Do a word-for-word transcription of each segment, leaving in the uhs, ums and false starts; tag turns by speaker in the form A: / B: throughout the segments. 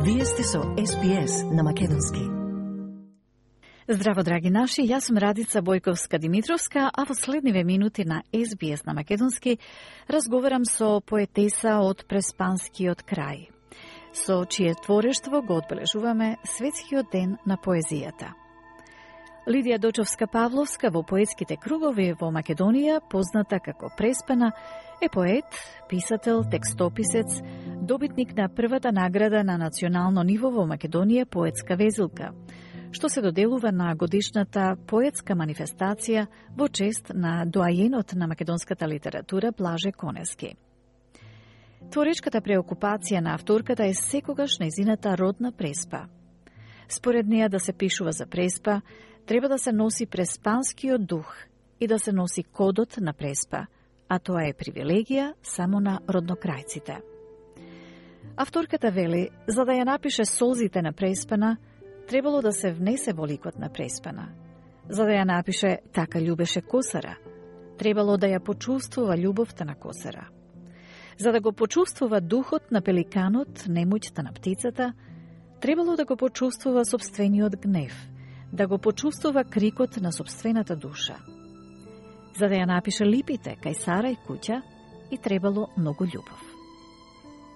A: Вие сте со Ес Би Ес на Македонски.
B: Здраво, драги наши, јас сум Радица Бојковска-Димитровска, а во следниве минути на Ес Би Ес на Македонски разговарам со поетеса од Преспанскиот крај, со чие творештво го одбележуваме Светскиот ден на поезијата. Лидија Дочовска-Павловска во поетските кругови во Македонија, позната како Преспана, е поет, писател, текстописец, добитник на првата награда на национално ниво во Македонија поетска везилка, што се доделува на годишната поетска манифестација во чест на доајенот на македонската литература Блаже Конески. Творечката преокупација на авторката е секогаш нејзината родна Преспа. Според неја да се пишува за Преспа, треба да се носи преспанскиот дух и да се носи кодот на Преспа, а тоа е привилегија само на роднокрајците. Авторката вели, за да ја напише Солзите на Преспана, требало да се внесе во ликот на Преспана. За да ја напише Така љубеше Косара, требало да ја почувствува љубовта на Косара. За да го почувствува духот на пеликанот, немоќта на птицата, требало да го почувствува сопствениот гнев, да го почувствува крикот на сопствената душа. За да ја напише Липите кај Сара и куќа, и требало многу љубов.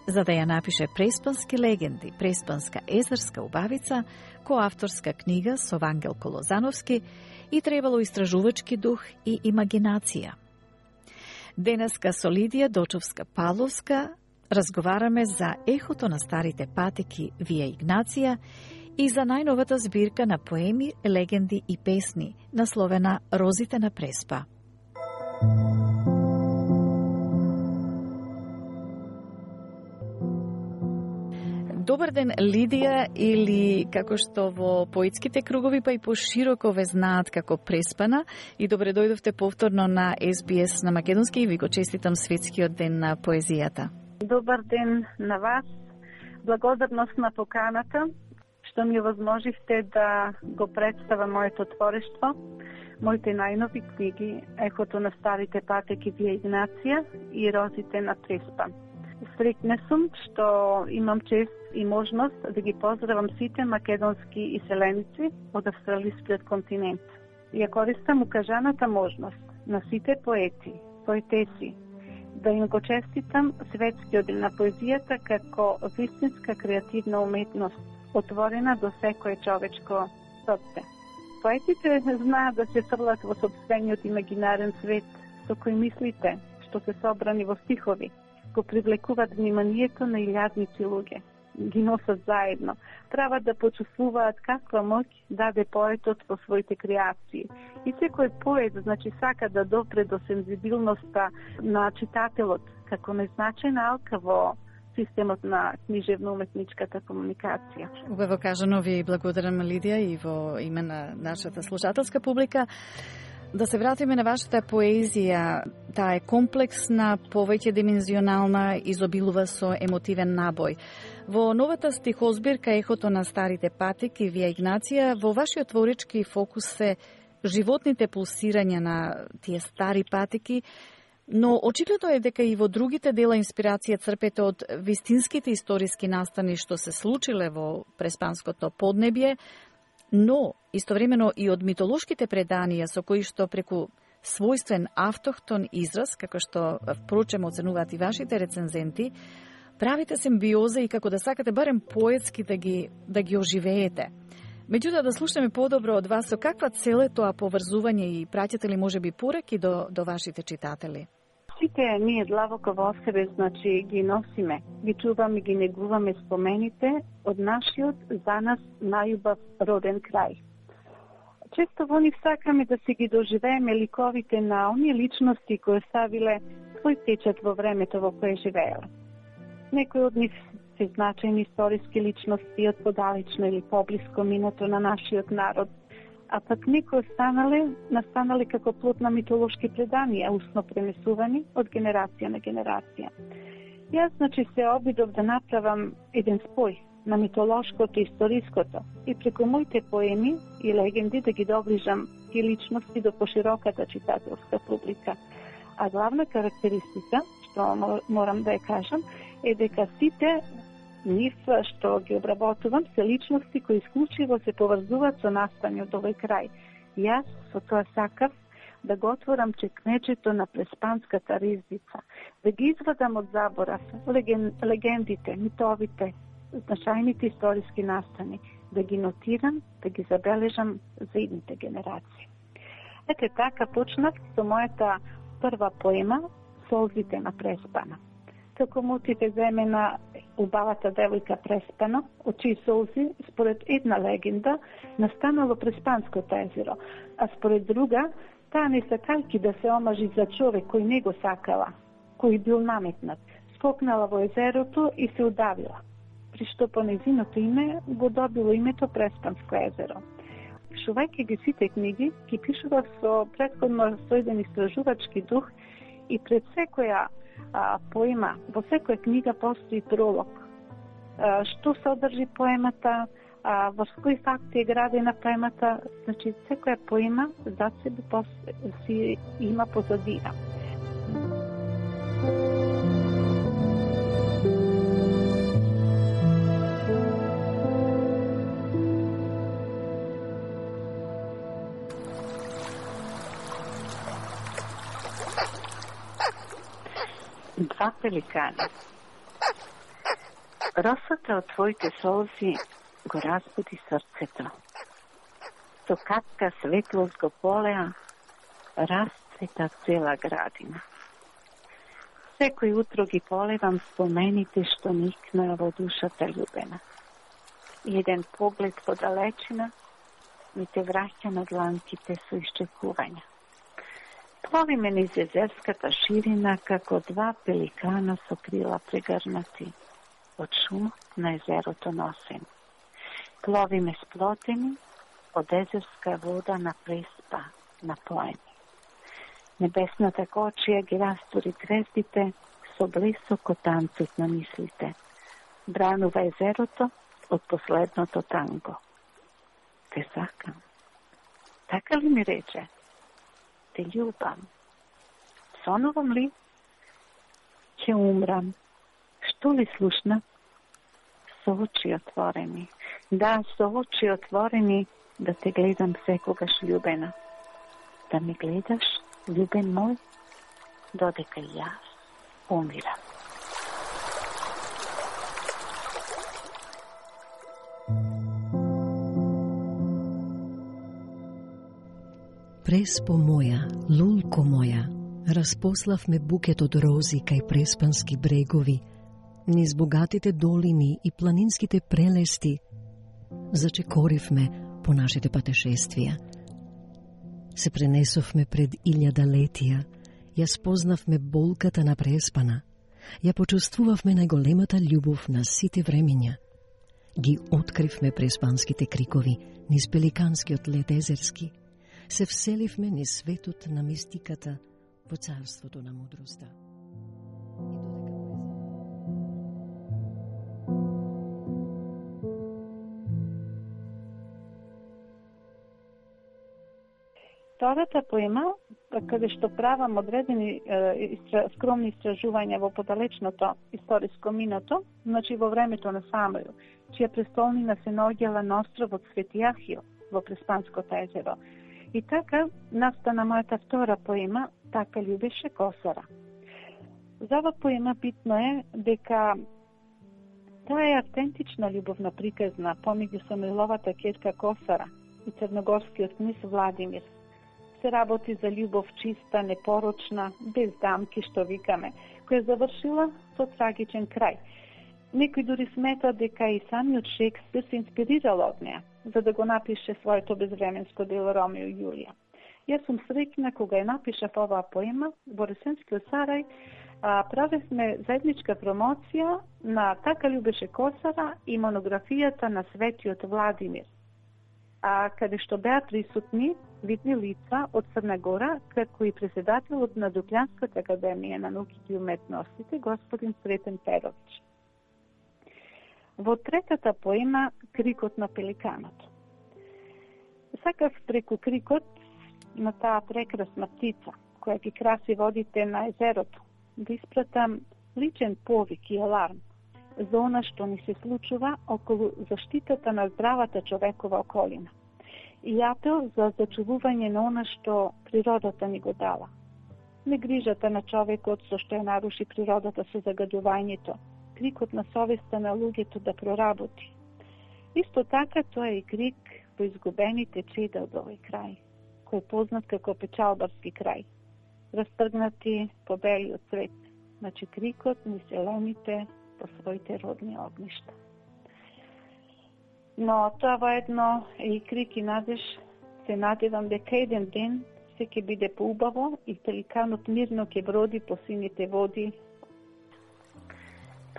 B: За да ја напише Преспански легенди, Преспанска езерска убавица, коавторска книга со Вангелко Лозановски, и требало истражувачки дух и имагинација. Денеска со Лидија Дочовска-Павловска разговараме за ехото на старите патеки Вија Игнација и за најновата збирка на поеми, легенди и песни, насловена Розите на Преспа. Добар ден, Лидија, или како што во поетските кругови па и пошироко ве знаат како Преспана, и добре дојдовте повторно на Ес Би Ес на Македонски и ви го честитам Светскиот ден на поезијата.
C: Добар ден на вас. Благодарност на поканата што ми овозможивте да го представам моето творештво, моите најнови книги Ехото на старите патеки Вија Игнација и Розите на Преспа. Среќна сум што имам чест и можност да ги поздравам сите македонски иселеници од австралискиот континент. Ја користам укажаната можност на сите поети, поетеси, да им го честитам Светскиот ден на поезијата како вистинска креативна уметност, отворена до секое човечко срце. Поетите знаат да се фрлат во сопствениот имагинарен свет со кој мислите, што се собрани во стихови, го привлекуваат вниманието на илјадници луѓе, ги носат заедно. Треба да почувствуваат каква моќ даде поетот во своите креации. И секој поет, значи, сака да допре до сензибилноста на читателот, како незначајна алка во системот на книжевно-уметничката комуникација.
B: Убаво кажано, ви благодарам, Лидија, и во име на нашата слушателска публика. Да се вратиме на вашата поезија. Таа е комплексна, повеќе димензионална, изобилува со емотивен набој. Во новата стихозбирка Ехото на старите патеки Вија Игнација, во вашиот творечки фокус се животните пулсирања на тие стари патеки, но очигледно е дека и во другите дела инспирација црпете од вистинските историски настани што се случиле во преспанското поднебје, но истовремено и од митолошките преданија со кои што преку својствен автохтон израз, како што впрочем оценуваат и вашите рецензенти, правите симбиоза и како да сакате барем поетски да ги, да ги оживеете. Меѓутоа, да слушаме подобро од вас, со каква цел е тоа поврзување и праќате ли можеби пораки до, до вашите читатели?
C: Сите ние длабоко во себе, значи, ги носиме, ги чуваме, ги негуваме спомените од нашиот за нас најубав роден крај. Често во нив сакаме да се ги доживееме ликовите на оние личности кои ставиле свој печат во времето во кое живееле. Некои од нив се значајни историски личности од подалечно или поблиско минато на нашиот народ, а пак некои останале, настанале како плод на митолошки преданија, усно пренесувани од генерација на генерација. Јас, значи, се обидов да направам еден спој на митолошкото и историското и преку моите поеми и легенди да ги доближам и личности до пошироката читателска публика. А главна карактеристика, што морам да ја кажам, е дека сите Нив што ги обработувам се личности кои исклучиво се поврзуваат со настаниот овој крај. Јас со тоа сакав да го отворам чекмеџето на преспанската ризница, да ги извадам од заборав леген, легендите, митовите, значајните историски настани, да ги нотирам, да ги забележам за идните генерации. Ете така почнав со мојата прва поема Солзите на преспана. Како мотиве земе на убавата девојка преспана, од чии солзи, според една легенда, настанало Преспанското езеро, а според друга, таа не сакајќи да се омажи за човек кој не го сакала, кој бил наметнат, скокнала во езерото и се удавила, при што по незиното име го добило името Преспанско езеро. Пишувајќи ги сите книги, ги пишував со претходно сојден истражувачки дух и пред секоја а, поема, во секоја книга постои пролог. А, што содржи поемата, а, во кои факти е градена поемата, значи секоја поема за себе си има позадина. Два пеликана. Росата од твоите солзи го разбуди срцето. Со капка светлост го полеа, расцвета цела градина. Секој утро ги полевам спомените што никнаа во душата љубена. И еден поглед во далечина ми те враќа на дланките со исчекувања. Пловиме низ езерската ширина како два пеликана со крила прегрнати од шумот на езерото носен. Пловиме сплотени од езерска вода на преспа, напоени. Небесната кочија ги растури звездите со блесок од танцот на мислите. Бранува езерото од последното танго. Те сакам. Така ли ми рече? Те љубам. Сонувам ли? Ќе умрам. Што ли слушна? Со очи отворени. Да, со очи отворени да те гледам секогаш љубена. Да ме гледаш, љубен мој, додека јас умирам.
A: Преспо моја, лулко моја, распославме букет од рози кај преспански брегови, низ богатите долини и планинските прелести, зачекоривме по нашите патешествија. Се пренесовме пред илјада летија, ја спознавме болката на преспана, ја почувствувавме најголемата љубов на сите времења. Ги откривме преспанските крикови низ пеликанскиот лет езерски, се вселивме низ светот на мистиката во царството на мудроста.
C: Втората поема, каде што правам одредени е, истра, скромни истражувања во подалечното историско минато, значи во времето на Самуил, чија престолнина се наоѓала на островот Свети Ахил во Преспанското езеро. И така настана мојата втора поема Така љубеше Косара. За ова поема битно е дека таа е автентична љубовна приказна помеѓу Самуиловата ќерка Косара и црногорскиот книз Владимир. Се работи за љубов чиста, непорочна, без дамки што викаме, која завршила со трагичен крај. Некои дури сметат дека и самиот Шекспир се инспирирал од неа, за да го напише своето безвременско дело Ромео и Јулија. Јас сум среќна кога ја напишав оваа поема во Ресенскиот Сарај, а, правевме заедничка промоција на Така љубеше Косара и монографијата на Светиот Владимир, а каде што беа присутни видни лица од Црна Гора, како и председателот на Дуклјанската академија на науките и уметностите, господин Сретен Перович. Во третата поема Крикот на пеликанот. Сакав преку крикот на таа прекрасна птица, која ги краси водите на езерото, да испратам личен повик и аларм, за она што ни се случува околу заштитата на здравата човекова околина и апел за зачувување на она што природата ни го дала. Не грижата на човекот со што ја наруши природата со загадувањето, крикот на совеста на луѓето да проработи. Исто така тоа е и крик по изгубените чеда од овој крај, кој е познат како печалбарски крај, растргнати по белиот свет, значи крикот на селените по своите родни огништа. Но тоа воедно е и крик и надеж, се надевам дека еден ден се ќе биде поубаво и пеликанот мирно ќе броди по сините води.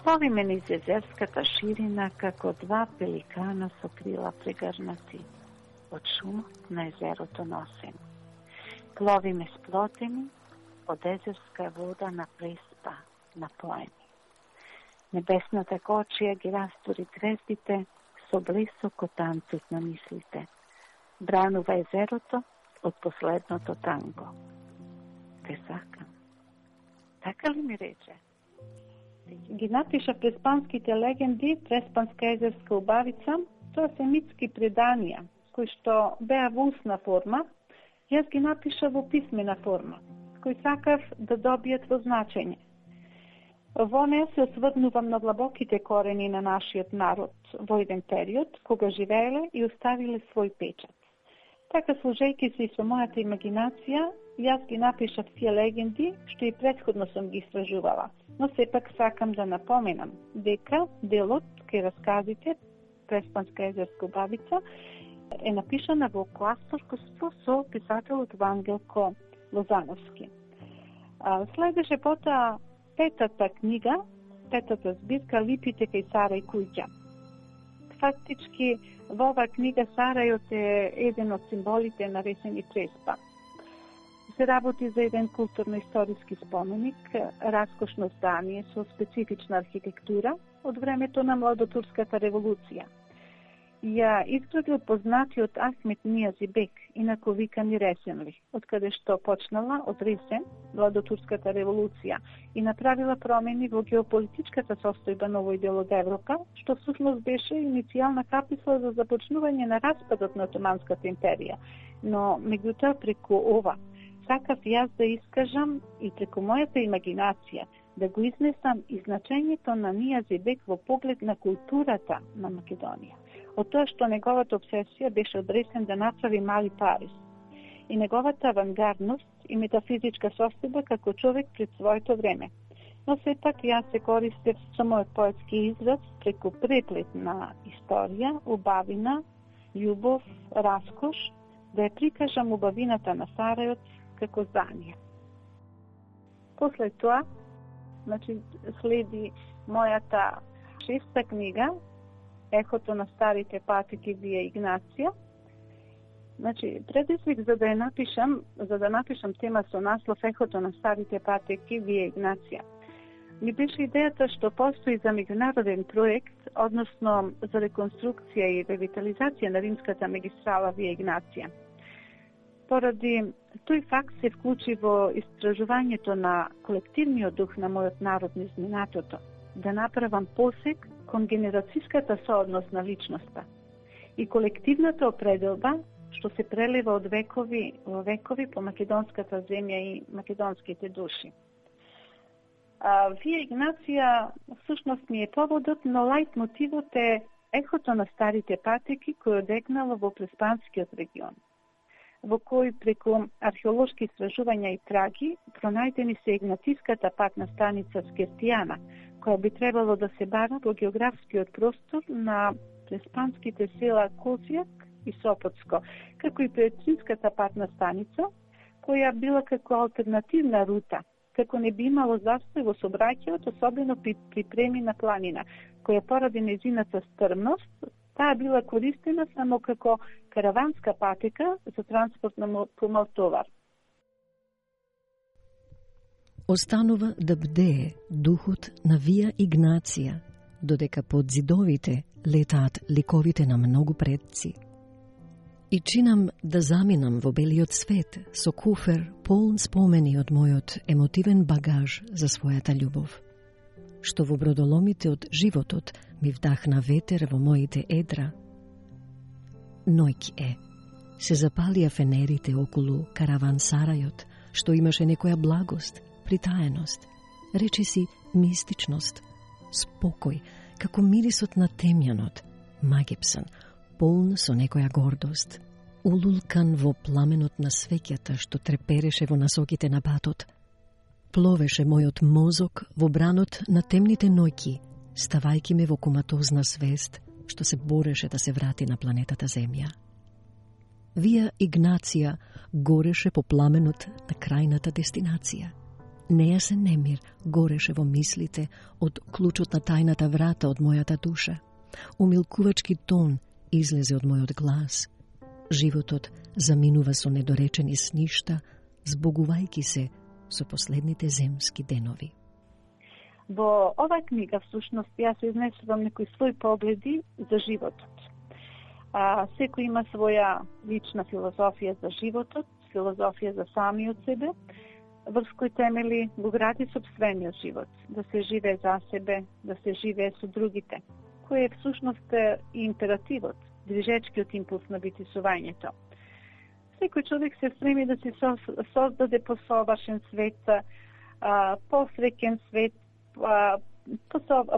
C: Пловиме низ езерската ширина како два пеликана со крила прегрнати од шумот на езерото носен. Пловиме сплотени од езерска вода на преспа, напоени. Небесната кочија ги растори звездите со блесок од танцот на мислите. Бранува езерото од последното танго. Те сакам. Така ли ми рече? Ги напиша преспанските легенди, Преспанска езерска убавица. Тоа се митски преданија, кои што беа во устна форма. Јас ги напиша во писмена форма, кои сакав да добијат во значење. Во неја се осврнувам на длабоките корени на нашиот народ во еден период, кога живееле и оставиле свој печат. Така, служејќи се и со мојата имагинација, јас ги напишав тие легенди, што и претходно сум ги истражувала. Но сепак сакам да напоменам дека делот кај расказите Преспанска езерска убавица е напишана во коавторство со писателот Вангелко Лозановски. Следеше потоа петата книга, петата збирка Липите кај Сарај куќа. Фактички, во оваа книга Сарајот е еден од символите на Ресени Преспа. Се работи за еден културно-историски споменик, раскошно здание со специфична архитектура од времето на Младотурската револуција. Ја изградил познатиот Ахмет Нијази бек, инако викан и Ресенли, од каде што почнала од Ресен, Младотурската револуција, и направила промени во геополитичката состојба на овој дел од Европа, што всушност беше иницијална каписла за започнување на распадот на Отоманската империја. Но, меѓутоа, преку ова, сакав јас да искажам и преку мојата имагинација да го изнесам и значењето на Нијази бек во поглед на културата на Македонија. Од тоа што неговата обсесија беше одресен да направи мали Париз и неговата авангардност и метафизичка состојба како човек пред своето време. Но сепак јас се користев со мојот поетски израз преку преплет на историја, убавина, љубов, раскош, да ја прикажам убавината на Сарајот како здание. После тоа, значи, следи мојата шеста книга, Ехото на старите патеки вие Игнација. Значи, предизвик за да ја напишам, за да напишам тема со наслов Ехото на старите патеки вие Игнација, ми беше идејата што постои за меѓународен проект, односно за реконструкција и ревитализација на римската магистрала вие Игнација. Поради тој факт се вклучи во истражувањето на колективниот дух на мојот народ низ минатото, да направам посек кон генерацијската соодност на личноста и колективната определба што се прелива од векови во векови по македонската земја и македонските души. А, вие Игнација всушност ми е поводот, но лајт мотивот е ехото на старите патеки кој одегнало во Преспанскиот регион, во кој преку археолошки истражувања и траги пронајдени се Игнатиската патна станица Скертијана, која би требало да се бара во географскиот простор на преспанските села Козјак и Сопотско, како и Петринската патна станица, која била како алтернативна рута, како не би имало застој во сообраќајот, особено при припреми на планина, која поради нејзината стрмност, таа била користена само како караванска патека за транспорт на помалтовар.
A: Останува да бдее духот на вија Игнација, додека под зидовите летаат ликовите на многу предци. И чинам да заминам во белиот свет со куфер полн спомени од мојот емотивен багаж за својата љубов. што во бродоломите од животот ми вдахна ветер во моите едра. Ноќ е. Се запалија фенерите околу каравансарајот, што имаше некоја благост, притаеност, речиси мистичност, спокој, како мирисот на темјанот, магипсан, полн со некоја гордост, улулкан во пламенот на свеќата што трепереше во насоките на патот. Пловеше мојот мозок во бранот на темните ноќи, ставајки ме во коматозна свест што се бореше да се врати на планетата Земја. Вија Игнација гореше по пламенот на крајната дестинација. Нејасен немир гореше во мислите од клучот на тајната врата од мојата душа. Умилкувачки тон излезе од мојот глас. Животот заминува со недоречени сништа, збогувајки се со последните земски денови.
C: Во оваа книга, всушност, јас изнесувам некои своји погледи за животот. А, секој има своја лична филозофија за животот, филозофија за самиот себе, врз кој темели го гради сопствениот живот, да се живее за себе, да се живее со другите, кој е всушност и императивот, движечкиот импулс на битисувањето. Секој човек се стреми да си создаде посовршен свет, посреќен свет,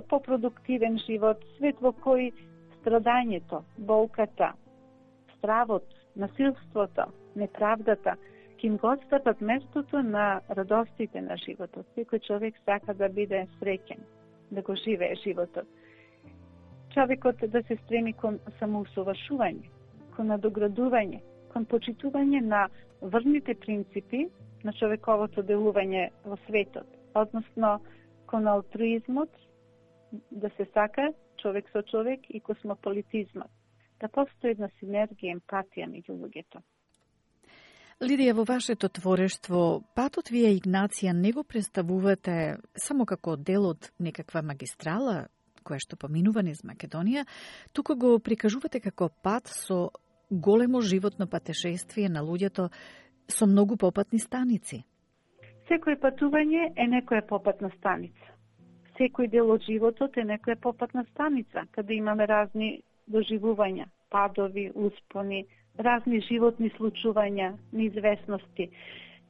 C: попродуктивен живот, свет во кој страдањето, болката, стравот, насилството, неправдата ќе им го отстапат местото на радостите на животот. Секој човек сака да биде среќен, да го живее животот. Човекот да се стреми кон самоусовршување, кон надоградување, кон почитување на врните принципи на човековото делување во светот, односно кон алтруизмот, да се сака човек со човек и космополитизмот, да постои една синергија, емпатија меѓу луѓето.
B: Лидија, во вашето творештво, патот вие Игнација не го представувате само како дел од некаква магистрала, која што поминува низ Македонија, туку го прикажувате како пат со големо животно патешествие на луѓето со многу попатни станици.
C: Секој патување е некоја попатна станица. Секој дел од животот е некоја попатна станица, каде имаме разни доживувања, падови, успони, разни животни случувања, неизвестности.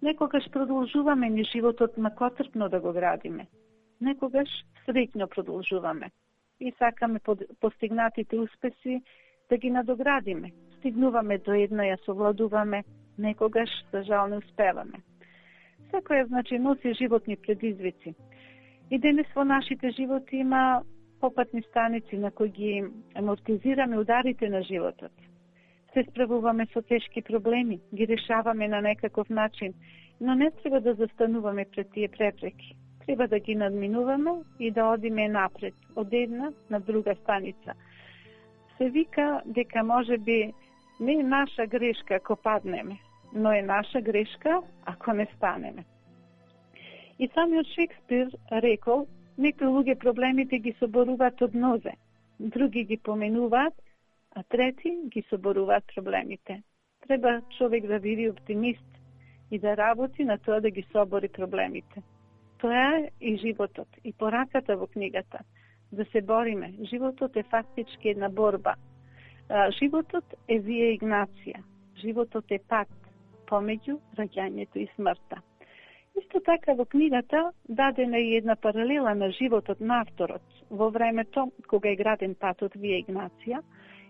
C: Некогаш продолжуваме ни животот макотрпно да го градиме. Некогаш среќно продолжуваме и сакаме постигнатите успеси да ги надоградиме. Стигнуваме до една, ја совладуваме, некогаш, за жал, не успеваме. Секоја, значи, носи животни предизвици. И денес во нашите животи има попатни станици на кои ги амортизираме ударите на животот. Се справуваме со тешки проблеми, ги решаваме на некаков начин, но не треба да застануваме пред тие препреки. Треба да ги надминуваме и да одиме напред, од една на друга станица. Се вика дека може би не е наша грешка ако паднеме, но е наша грешка ако не станеме. И самиот Шекспир рекол, некои луѓе проблемите ги соборуваат од нозе, други ги поменуваат, а трети ги соборуваат проблемите. Треба човек да биде оптимист и да работи на тоа да ги собори проблемите. Тоа е и животот, и пораката во книгата. Да се бориме. Животот е фактички една борба. Животот е вие Игнација. Животот е пат помеѓу раѓањето и смртта. Исто така во книгата дадена е една паралела на животот на авторот во времето кога е граден патот вие Игнација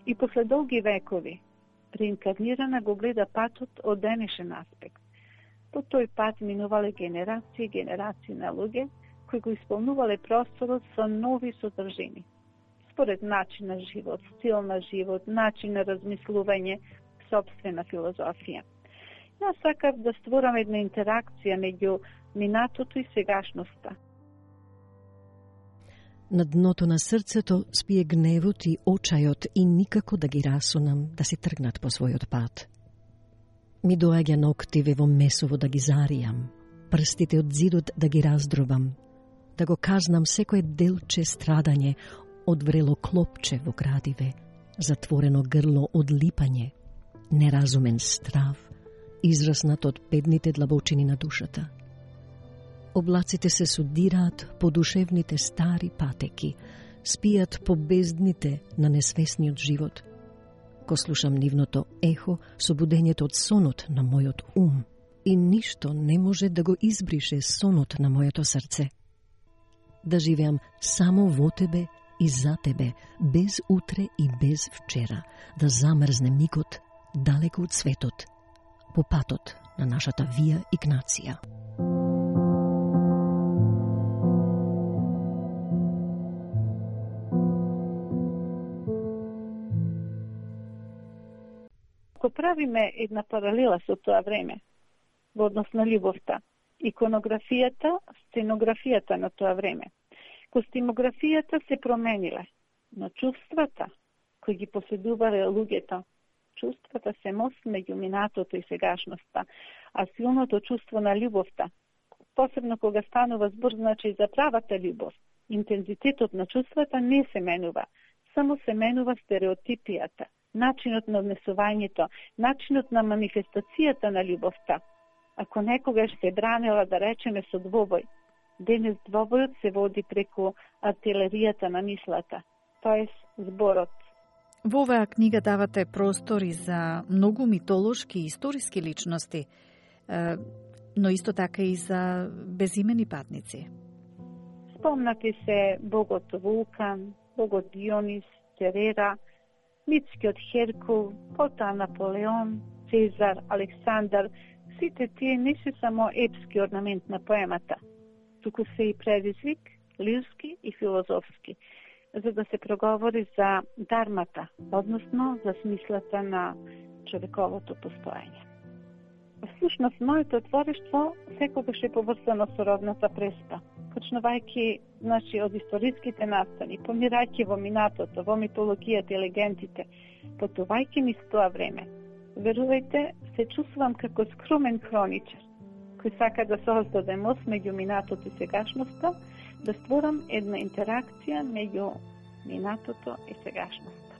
C: и после долги векови реинкарнирана го гледа патот од денешен аспект. По тој пат минувале генерации и генерации на луѓе кои го исполнувале просторот со нови содржини. Според начин на живот, стил на живот, начин на размислување, собствена филозофија. Јас сакав да створам една интеракција меѓу минатото и сегашноста.
A: На дното на срцето спие гневот и очајот и никако да ги расунам да си тргнат по својот пат. Ми доаѓа ноктиве во месово да ги заријам, прстите од зидот да ги раздробам, да го казнам секое делче страдање од врело клопче во градиве, затворено грло од липање, неразумен страв, израснат од бедните длабочини на душата. Облаците се судираат по душевните стари патеки, спијат по бездните на несвесниот живот. Ко слушам нивното ехо, собудењето од сонот на мојот ум, и ништо не може да го избрише сонот на моето срце. Да живеам само во тебе и за тебе, без утре и без вчера, да замрзне мигот далеко од светот, по патот на нашата Вија Игнација.
C: Ако правиме една паралела со тоа време, во однос на љубовта, иконографијата, сценографијата на тоа време, костимографијата се промениле, но чувствата кои ги поседувале луѓето, чувствата се мост меѓу минатото и сегашноста, а силното чувство на љубовта, посебно кога станува збор значи за правата љубов, интензитетот на чувствата не се менува, само се менува стереотипијата, начинот на однесувањето, начинот на манифестацијата на љубовта. Ако некогаш се бранела, да речеме, со двобој, денес двобојот се води преку артилеријата на мислата, тоест зборот.
B: Во оваа книга давате простори за многу митолошки и историски личности, но исто така и за безимени патници.
C: Спомнати се богот Вулкан, богот Дионис, Церера, митскиот Херкул, потоа Наполеон, Цезар, Александар. Сите тие не се само епски орнамент на поемата, туку се и предизвик, лирски и филозофски, за да се проговори за дармата, односно за смислата на човековото постоење. Всушност, моето творештво секогаш е поврзано со родната преспа, почнувајќи значи, од историските настани, помирајќи во минатото, во митологијата и легендите, потувајќи низ тоа време. Верувајте, се чувствувам како скромен хроничар, кој сака да создаде мост меѓу минатото и сегашноста, да створам една интеракција меѓу минатото и сегашноста.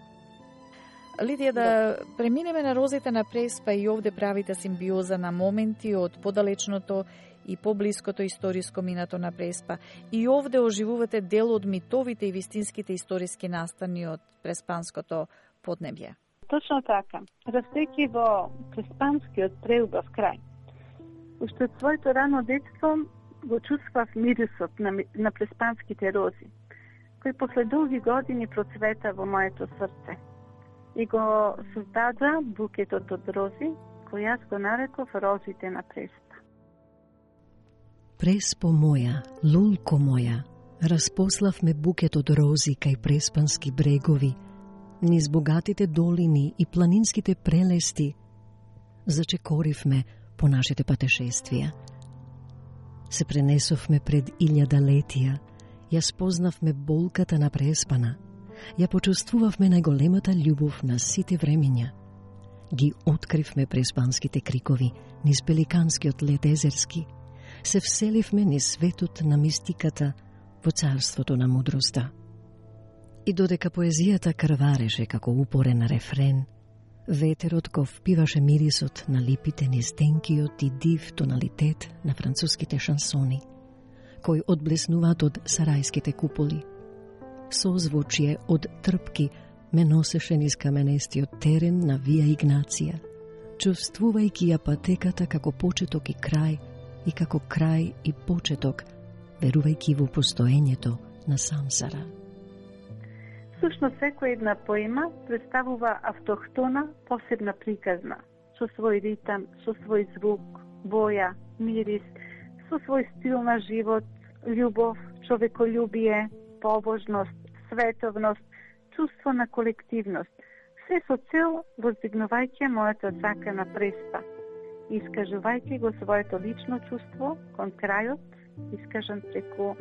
B: Лидија, да преминеме на розите на преспа, и овде правите симбиоза на моменти од подалечното и поблиското историско минато на преспа. И овде оживувате дел од митовите и вистинските историски настани од преспанското поднебје.
C: Точно така. Растејќи во преспанскиот преубав крај, уште од своето рано детство го чувствав мирисот на, на преспанските рози, кој после долги години процвета во моето срце и го создада букетот од рози, кој јас го нареков розите на преспа.
A: Преспо моја, лулко моја, распославме букет од рози кај преспански брегови, низ богатите долини и планинските прелести, зачекоривме по нашите патешествија. Се пренесовме пред илјадалетија, ја спознавме болката на преспана, ја почувствувавме најголемата љубов на сите времиња. Ги откривме преспанските крикови низ пеликанскиот лед езерски, се вселивме низ светот на мистиката во царството на мудроста. И додека поезијата крвареше како упорен рефрен, ветерот го впиваше мирисот на липите низ тенкиот и див тоналитет на француските шансони, кои одблеснуваат од сарајските куполи. Созвучие од трпки ме носеше низ каменестиот терен на Вија Игнација, чувствувајќи ја патеката како почеток и крај, и како крај и почеток, верувајќи во постоењето на Самсара.
C: Всушност, секоја една поема представува автохтона, посебна приказна, со свој ритам, со свој звук, боја, мирис, со свој стил на живот, љубов, човеколюбие, побожност, световност, чувство на колективност, се со цел воздигнувајќи мојата сака на преспа, искажувајќи го своето лично чувство кон крајот, искажан преку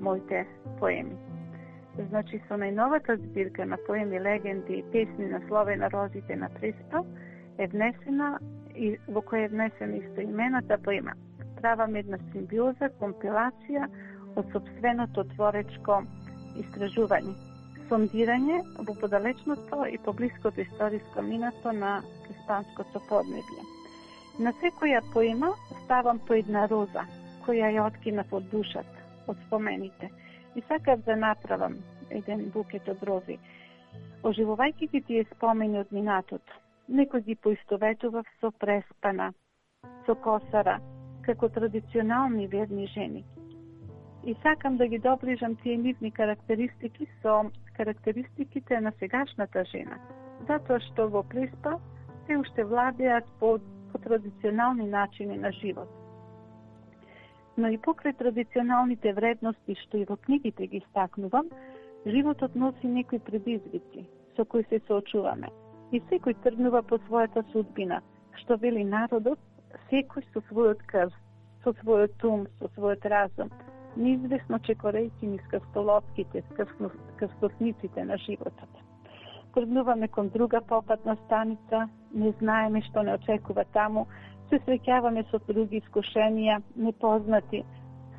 C: моите поеми. Значи, со најновата збирка на поеми, легенди и песни на слове на розите на преспа е внесена и во која е внесена истоимената поема. Правам една симбиоза, компилација од собственото творечко истражување, сондирање во подалечното и поблиското историско минато на преспанското поднебје. На секоја поема ставам по една роза, која ја откинав од душата, од спомените. И сакав да направам еден букет од рози. Оживувајќи ги тие спомени од минатото, некој ги поистоветував со Преспана, со Косара, како традиционални верни жени. И сакам да ги доближам тие нивни карактеристики со карактеристиките на сегашната жена, затоа што во Преспа те уште владеат по, по традиционални начини на живот. Но и покрај традиционалните вредности што и во книгите ги стакнувам, животот носи некои предизвици со кои се соочуваме. И секој тргнува по својата судбина, што вели народот, секој со својот крв, со својот ум, со својот разум, неизвестно чекорејќи низ крстолотките, крстосниците на животот. Тргнуваме кон друга попатна станица, не знаеме што не очекува таму, се среќаваме со други искушенија, непознати.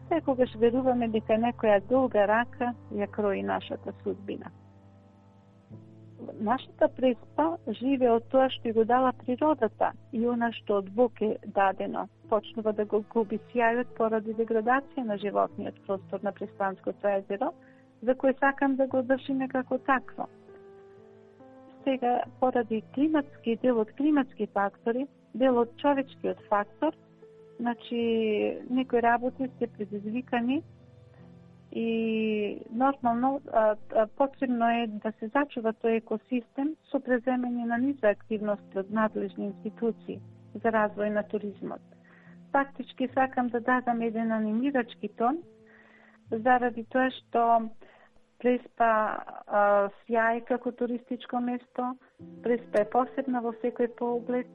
C: Секогаш веруваме дека некоја долга рака ја крои нашата судбина. Нашата Преспа живе од тоа што ја го дала природата и она што од Бог е дадено. Почнува да го губи сјајот поради деградација на животниот простор на Преспанското езеро, за кој сакам да го држиме како такво. Сега, поради климатски, дел од климатски фактори, дел од човечкиот фактор, значи некои работи се предизвикани и нормално а, а, потребно е да се зачува тој екосистем со преземање на низа активности од надлежни институции за развој на туризмот. Фактички сакам да дадам еден анимирачки тон, заради тоа што Преспа а, сјај како туристичко место, Преспа е посебна во секој поглед,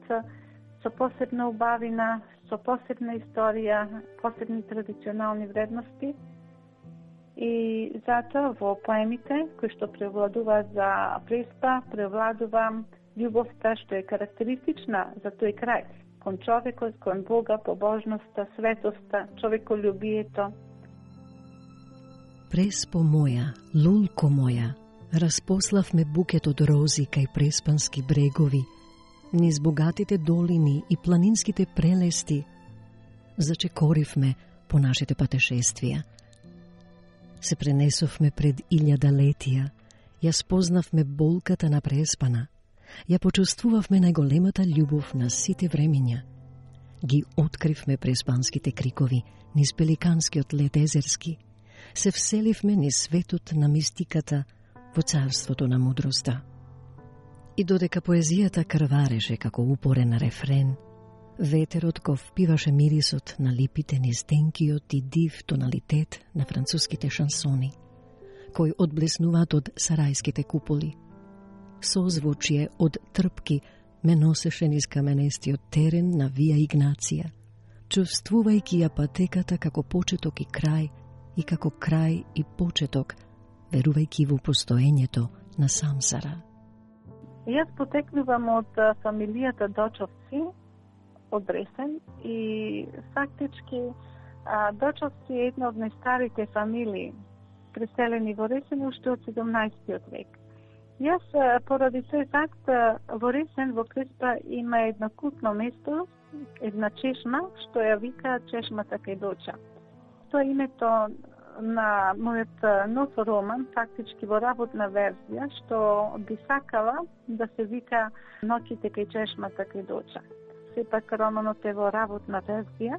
C: со посебна убавина, со посебна историја, посебни традиционални вредности. И затоа во поемите кои што превладува за Преспа, превладува љубовта што е карактеристична за тој крај, кон човекот, кон Бога, побожноста, светоста, човеколюбието.
A: Преспо моја, лулко моја, распославме букет од рози кај преспански брегови, низ богатите долини и планинските прелести, зачекоривме по нашите патешествија. Се пренесовме пред илјада летија, ја спознавме болката на Преспана, ја почувствувавме најголемата љубов на сите времиња. Ги откривме преспанските крикови низ пеликанскиот лед езерски, се вселивме низ светот на мистиката во царството на мудроста. И додека поезијата крвареше како упорен рефрен, ветерот го впиваше мирисот на липите низ тенкиот и див тоналитет на француските шансони, кои одблеснуваат од сарајските куполи. Созвучие од трпки ме носеше низ каменестиот терен на Вија Игнација, чувствувајќи ја патеката како почеток и крај, и како крај и почеток, верувајќи во постоењето на Самсара.
C: Јас потекнувам од фамилијата Дочовци, од Ресен, и фактички Дочовци е една од најстарите фамилии, преселени во Ресен уште од седумнаесеттиот век. Јас, поради тој факт, во Ресен, во Преспа, има едно култно место, една чешма, што ја вика чешмата кај Доча. Тоа е името на мојот нов роман, фактички во работна верзија, што би сакала да се вика Ноќите кај чешмата кај Доча. Сепак романот е во работна верзија.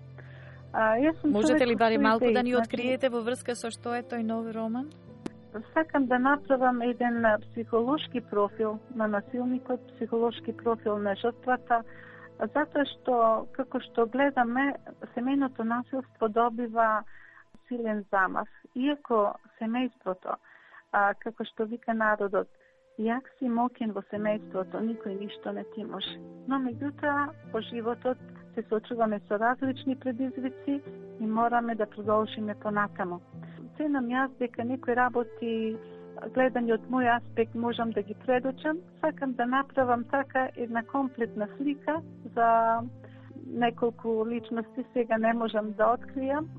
C: А, јас сум
B: Можете ли барем малку
C: идеи,
B: да ни
C: значи,
B: откриете во врска со што е тој нов роман?
C: Сакам да направам еден психолошки профил на насилникот, психолошки профил на жртвата, затоа што, како што гледаме, семејното насилство добива силен замав. Иако семејството, а, како што вика народот, јак си мокен во семејството, никој ништо не ти може. Но меѓутоа, по животот се соочуваме со различни предизвици и мораме да продолжиме понатамо. Ценам јас дека некои работи, гледани од мој аспект, можам да ги предочам. Сакам да направам така една комплетна слика за неколку личности, сега не можам да откријам.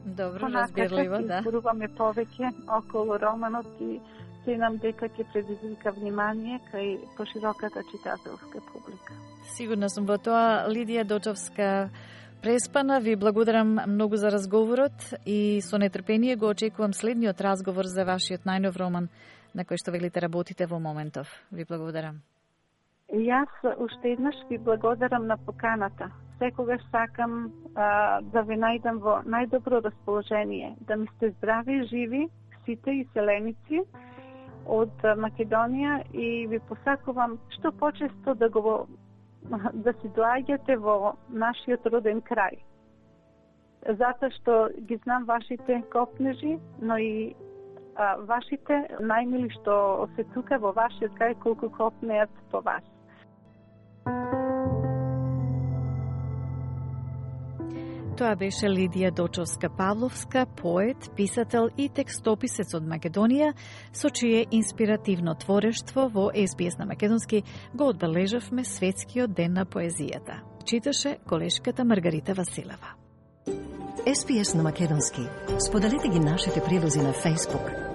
B: Добро, разбирливо, да.
C: Изборуваме повеќе околу романот и ценам дека ќе предизвика внимание кај пошироката читателска публика.
B: Сигурна сум во тоа. Лидија Дочовска, преспана. Ви благодарам многу за разговорот и со нетрпение го очекувам следниот разговор за вашиот најнов роман на кој што велите работите во моментов. Ви благодарам.
C: Јас уште еднаш ви благодарам на поканата. Секогаш сакам а, да ви најдам во најдобро расположение, да ми сте здрави, живи, сите и селеници од Македонија и ви посакувам што почесто да го да си доаѓате во нашиот роден крај. Затоа што ги знам вашите копнежи, но и а, вашите најмили што се тука во вашиот крај колку копнеат по вас.
B: Тоа беше Лидија Дочовска-Павловска, поет, писател и текстописец од Македонија, со чие инспиративно творештво во Ес Би Ес на македонски го одбележавме Светскиот ден на поезијата. Читаше колешката Маргарита Василева.
A: Ес Би Ес на македонски. Споделете ги нашите прилози на Facebook,